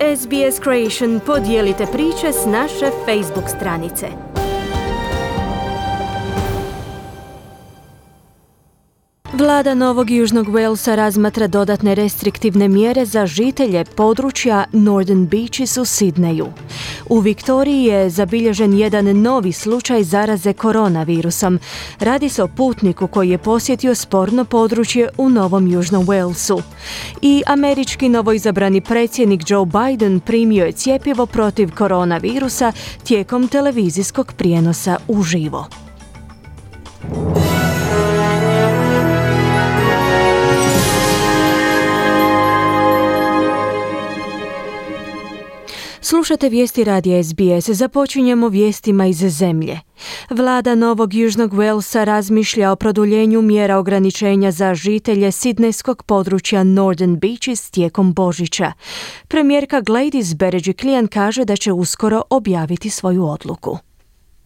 SBS Creation, podijelite priče s naše Facebook stranice. Vlada Novog Južnog Walesa razmatra dodatne restriktivne mjere za žitelje područja Northern Beaches u Sidneju. U Viktoriji je zabilježen jedan novi slučaj zaraze koronavirusom. Radi se o putniku koji je posjetio sporno područje u Novom Južnom Walesu. I američki novoizabrani predsjednik Joe Biden primio je cjepivo protiv koronavirusa tijekom televizijskog prijenosa uživo. Slušate vijesti radija SBS. Započinjemo vijestima iz zemlje. Vlada Novog Južnog Walesa razmišlja o produljenju mjera ograničenja za žitelje sidnejskog područja Northern Beaches tijekom Božića. Premijerka Gladys Berejiklian kaže da će uskoro objaviti svoju odluku.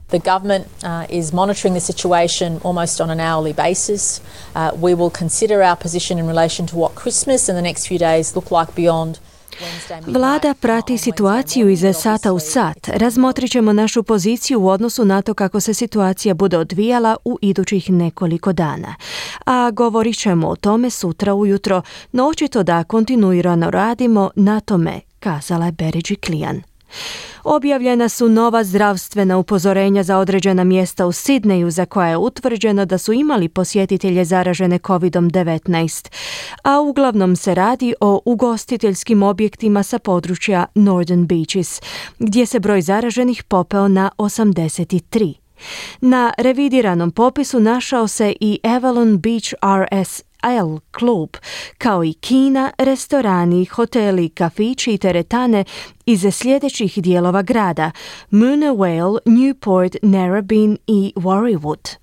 The government is monitoring the situation almost on an hourly basis. We will consider our position in relation to what Christmas and the next few days look like beyond. Vlada prati situaciju iz sata u sat. Razmotrit ćemo našu poziciju u odnosu na to kako se situacija bude odvijala u idućih nekoliko dana. A govorit ćemo o tome sutra ujutro, no očito da kontinuirano radimo na tome, kazala je Berejiklian. Objavljena su nova zdravstvena upozorenja za određena mjesta u Sidneju za koja je utvrđeno da su imali posjetitelje zaražene COVID-19, a uglavnom se radi o ugostiteljskim objektima sa područja Northern Beaches, gdje se broj zaraženih popeo na 83. Na revidiranom popisu našao se i Avalon Beach RSL klub, kao i kina, restorani, hoteli, kafići i teretane iz sljedećih dijelova grada: Moona Vale, Newport, Narrabeen i Warriewood.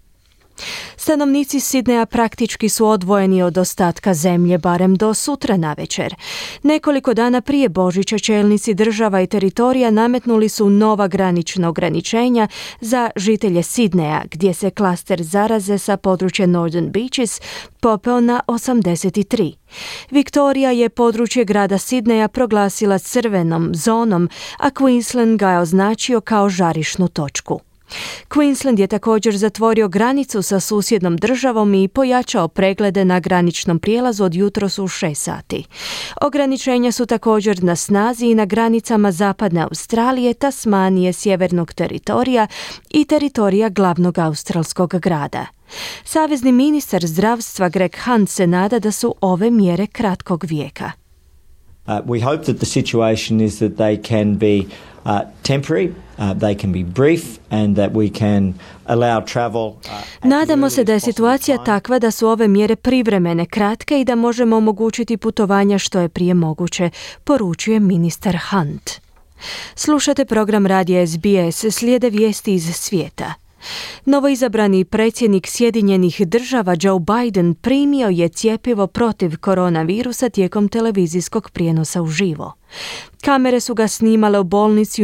Stanovnici Sidneja praktički su odvojeni od ostatka zemlje, barem do sutra navečer. Nekoliko dana prije Božića čelnici država i teritorija nametnuli su nova granična ograničenja za žitelje Sidneja, gdje se klaster zaraze sa područja Northern Beaches popeo na 83. Viktorija je područje grada Sidneja proglasila crvenom zonom, a Queensland ga je označio kao žarišnu točku. Queensland je također zatvorio granicu sa susjednom državom i pojačao preglede na graničnom prijelazu od jutros u 6 sati. Ograničenja su također na snazi i na granicama zapadne Australije, Tasmanije, sjevernog teritorija i teritorija glavnog australskog grada. Savezni ministar zdravstva Greg Hunt se nada da su ove mjere kratkog vijeka. We hope that the situation is that they can be temporary, they can be brief and that we can allow travel. Nadamo se da je situacija takva da su ove mjere privremene, kratke i da možemo omogućiti putovanja što je prije moguće, poručuje ministar Hunt. Slušate program radija SBS, slijede vijesti iz svijeta. Novoizabrani predsjednik Sjedinjenih država Joe Biden primio je cjepivo protiv koronavirusa tijekom televizijskog prijenosa uživo. Kamere su ga snimale u bolnici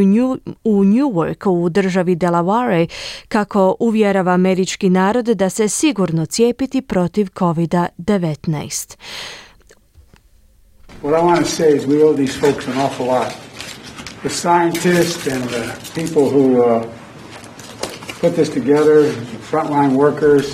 u Newarku u državi Delaware, kako uvjerava američki narod da se sigurno cijepiti protiv COVID-19. What I want to say is we owe these folks an awful lot. The scientists and the people who put this together, frontline workers.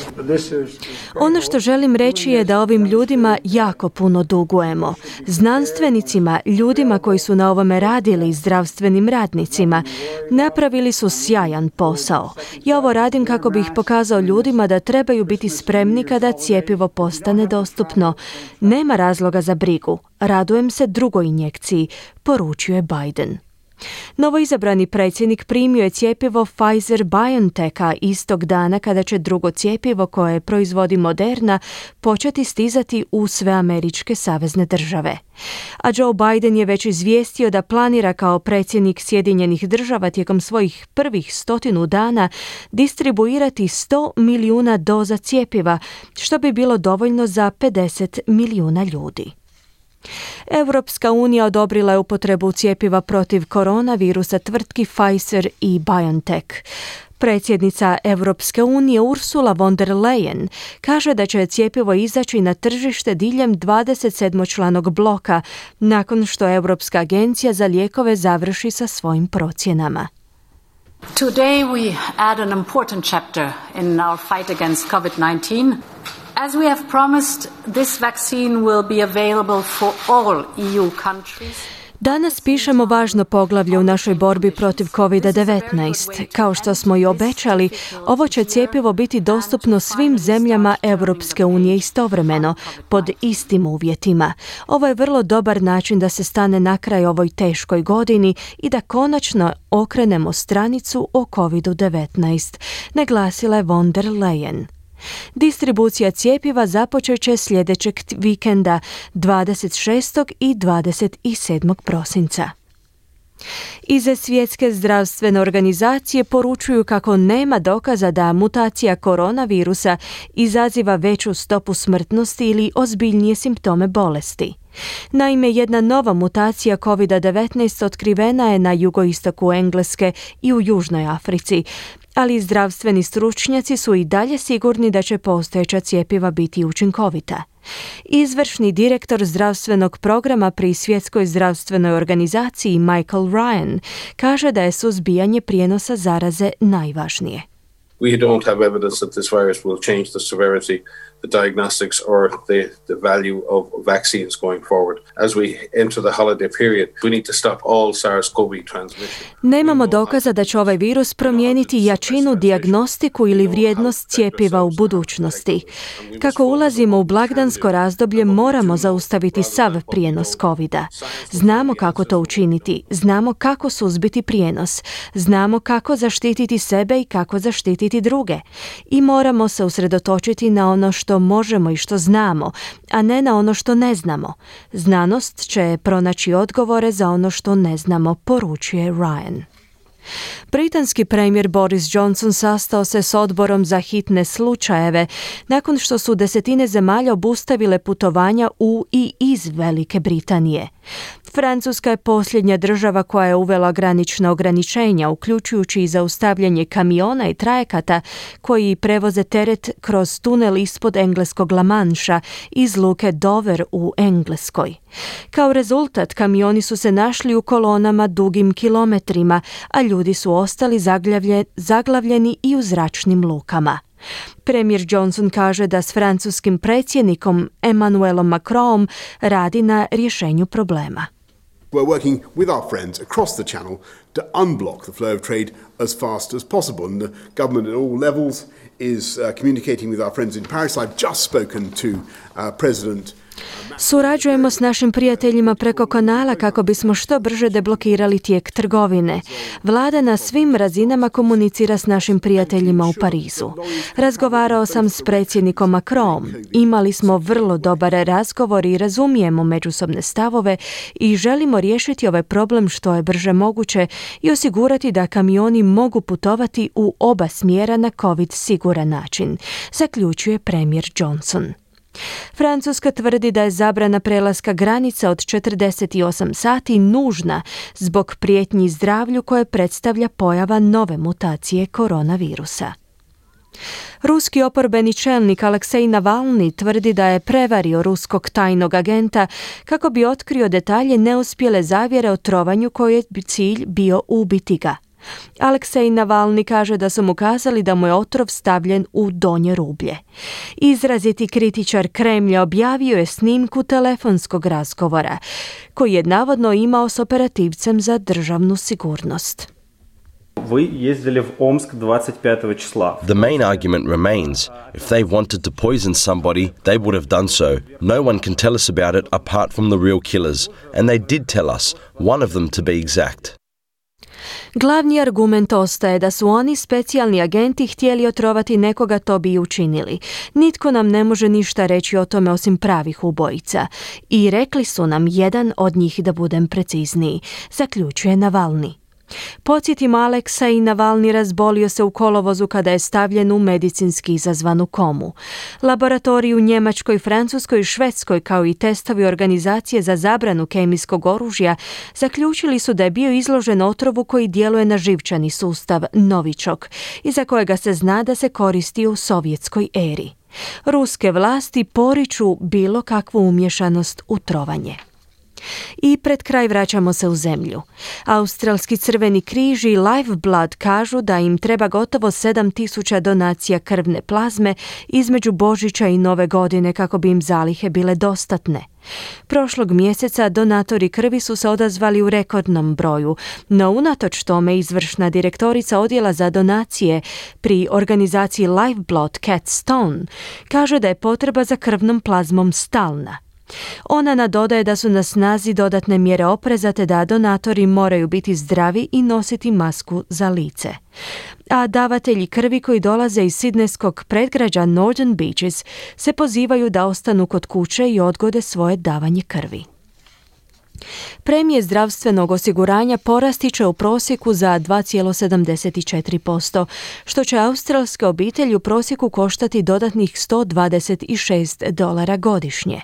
Ono što želim reći je da ovim ljudima jako puno dugujemo. Znanstvenicima, ljudima koji su na ovome radili, zdravstvenim radnicima. Napravili su sjajan posao. Ja ovo radim kako bih pokazao ljudima da trebaju biti spremni kada cjepivo postane dostupno. Nema razloga za brigu. Radujem se drugoj injekciji, poručuje Biden. Novoizabrani predsjednik primio je cjepivo Pfizer-BioNTecha istog dana kada će drugo cjepivo koje proizvodi Moderna početi stizati u sve američke savezne države. A Joe Biden je već izvijestio da planira kao predsjednik Sjedinjenih država tijekom svojih prvih 100 dana distribuirati 100 milijuna doza cjepiva, što bi bilo dovoljno za 50 milijuna ljudi. Europska unija odobrila je upotrebu cjepiva protiv koronavirusa tvrtki Pfizer i BioNTech. Predsjednica Europske unije Ursula von der Leyen kaže da će cjepivo izaći na tržište diljem 27-članog bloka nakon što Europska agencija za lijekove završi sa svojim procjenama. Today we add an important chapter in our fight against COVID-19. As we have promised, this vaccine will be available for all EU countries. Danas pišemo važno poglavlje u našoj borbi protiv COVID-19. Kao što smo i obećali, ovo će cjepivo biti dostupno svim zemljama Europske unije istovremeno, pod istim uvjetima. Ovo je vrlo dobar način da se stane na kraj ovoj teškoj godini i da konačno okrenemo stranicu o COVID-19, naglasila je von der Leyen. Distribucija cjepiva započet će sljedećeg vikenda 26. i 27. prosinca. Iz Svjetske zdravstvene organizacije poručuju kako nema dokaza da mutacija koronavirusa izaziva veću stopu smrtnosti ili ozbiljnije simptome bolesti. Naime, jedna nova mutacija COVID-19 otkrivena je na jugoistoku Engleske i u Južnoj Africi, ali zdravstveni stručnjaci su i dalje sigurni da će postojeća cjepiva biti učinkovita. Izvršni direktor zdravstvenog programa pri Svjetskoj zdravstvenoj organizaciji Michael Ryan kaže da je suzbijanje prijenosa zaraze najvažnije. We don't have evidence that this virus will change the severity, the diagnostics or the value of vaccines going forward. As we enter the holiday period, we need to stop all SARS-CoV transmission. Nemamo dokaza da će ovaj virus promijeniti jačinu, dijagnostiku ili vrijednost cjepiva u budućnosti. Kako ulazimo u blagdansko razdoblje, moramo zaustaviti sav prijenos COVID-a. Znamo kako to učiniti, znamo kako suzbiti prijenos, znamo kako zaštititi sebe i kako zaštititi druge. I moramo se usredotočiti na ono što možemo i što znamo, a ne na ono što ne znamo. Znanost će pronaći odgovore za ono što ne znamo, poručuje Ryan. Britanski premijer Boris Johnson sastao se s odborom za hitne slučajeve nakon što su desetine zemalja obustavile putovanja u i iz Velike Britanije. Francuska je posljednja država koja je uvela granična ograničenja, uključujući i zaustavljanje kamiona i trajekata koji prevoze teret kroz tunel ispod engleskog La Mancha iz luke Dover u Engleskoj. Kao rezultat, kamioni su se našli u kolonama dugim kilometrima, a ljudi su ostali zaglavljeni i u zračnim lukama. Premijer Johnson kaže da s francuskim predsjednikom Emmanuelom Macronom radi na rješenju problema. We're working with our friends across the channel to unblock the flow of trade as fast as possible. And the government at all levels is communicating with our friends in Paris. I've just spoken to President. Surađujemo s našim prijateljima preko kanala kako bismo što brže deblokirali tijek trgovine. Vlada na svim razinama komunicira s našim prijateljima u Parizu. Razgovarao sam s predsjednikom Macronom. Imali smo vrlo dobar razgovor i razumijemo međusobne stavove i želimo riješiti ovaj problem što je brže moguće i osigurati da kamioni mogu putovati u oba smjera na COVID siguran način, zaključuje premijer Johnson. Francuska tvrdi da je zabrana prelaska granica od 48 sati nužna zbog prijetnji zdravlju koje predstavlja pojava nove mutacije koronavirusa. Ruski oporbeni čelnik Aleksej Navalni tvrdi da je prevario ruskog tajnog agenta kako bi otkrio detalje neuspjele zavjere o trovanju koje bi cilj bio ubiti ga. Aleksej Navalni kaže da su mu kazali da mu je otrov stavljen u donje rublje. Izraziti kritičar Kremlja objavio je snimku telefonskog razgovora koji je navodno imao s operativcem za državnu sigurnost. The main argument remains, if they wanted to poison somebody, they would have done so. No one can tell us about it apart from the real killers, and they did tell us, one of them to be exact. Glavni argument ostaje da su oni, specijalni agenti, htjeli otrovati nekoga, to bi i učinili. Nitko nam ne može ništa reći o tome osim pravih ubojica. I rekli su nam jedan od njih, da budem precizniji, zaključuje Navalni. Podsjetimo, Aleksej Navalni razbolio se u kolovozu kada je stavljen u medicinski izazvanu komu. Laboratoriji u Njemačkoj, Francuskoj i Švedskoj, kao i testovi organizacije za zabranu kemijskog oružja, zaključili su da je bio izložen otrovu koji djeluje na živčani sustav Novičok, iza kojega se zna da se koristi u sovjetskoj eri. Ruske vlasti poriču bilo kakvu umješanost u trovanje. I pred kraj vraćamo se u zemlju. Australski Crveni križ i Lifeblood kažu da im treba gotovo 7.000 donacija krvne plazme između Božića i Nove godine kako bi im zalihe bile dostatne. Prošlog mjeseca donatori krvi su se odazvali u rekordnom broju, no unatoč tome izvršna direktorica odjela za donacije pri organizaciji Lifeblood, Kat Stone, kaže da je potreba za krvnom plazmom stalna. Ona nadodaje da su na snazi dodatne mjere opreza te da donatori moraju biti zdravi i nositi masku za lice. A davatelji krvi koji dolaze iz sidnejskog predgrađa Northern Beaches se pozivaju da ostanu kod kuće i odgode svoje davanje krvi. Premije zdravstvenog osiguranja porasti će u prosjeku za 2,74%, što će australske obitelji u prosjeku koštati dodatnih $126 godišnje.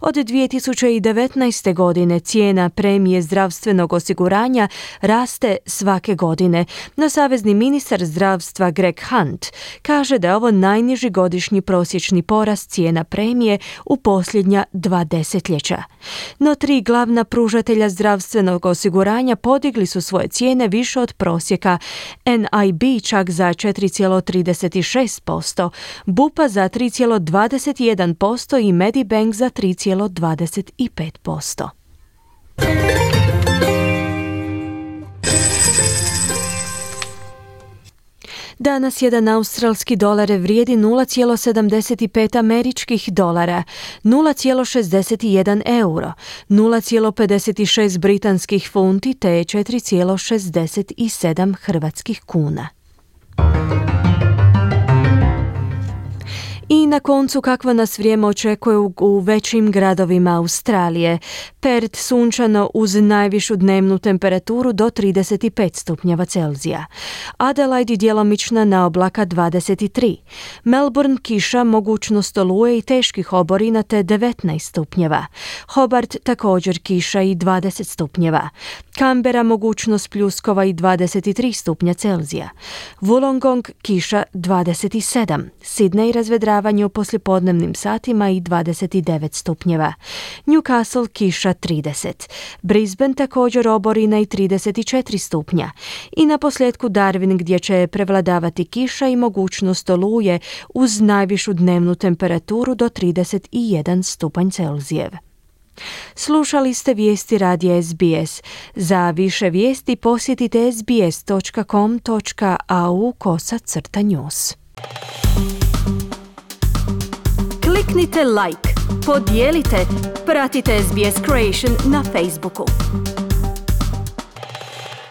Od 2019. godine cijena premije zdravstvenog osiguranja raste svake godine, no savezni ministar zdravstva Greg Hunt kaže da je ovo najniži godišnji prosječni porast cijena premije u posljednja 2 desetljeća. No 3 glavna pružatelja zdravstvenog osiguranja podigli su svoje cijene više od prosjeka, NIB čak za 4,36%, Bupa za 3,21% i Medibank za 3,25%. Danas jedan australski dolar vrijedi 0,75 američkih dolara, 0,61 euro, 0,56 britanskih funti te 4,67 hrvatskih kuna. I na koncu kakvo nas vrijeme očekuje u većim gradovima Australije. Perth sunčano uz najvišu dnevnu temperaturu do 35 stupnjeva Celzija. Adelaide djelomična na oblaka 23. Melbourne kiša, mogućnost oluje i teških oborina te 19 stupnjeva. Hobart također kiša i 20 stupnjeva. Canberra mogućnost pljuskova i 23 stupnja Celzija. Wollongong kiša 27. Sydney razvedravanje u poslijepodnevnim satima i 29 stupnjeva. Newcastle kiša 30. Brisbane također oborina i 34 stupnja. I na posljedku Darwin gdje će prevladavati kiša i mogućnost oluje uz najvišu dnevnu temperaturu do 31 stupanj Celzijev. Slušali ste vijesti radija SBS. Za više vijesti posjetite sbs.com.au/news. Kliknite like, podijelite, pratite SBS Creation na Facebooku.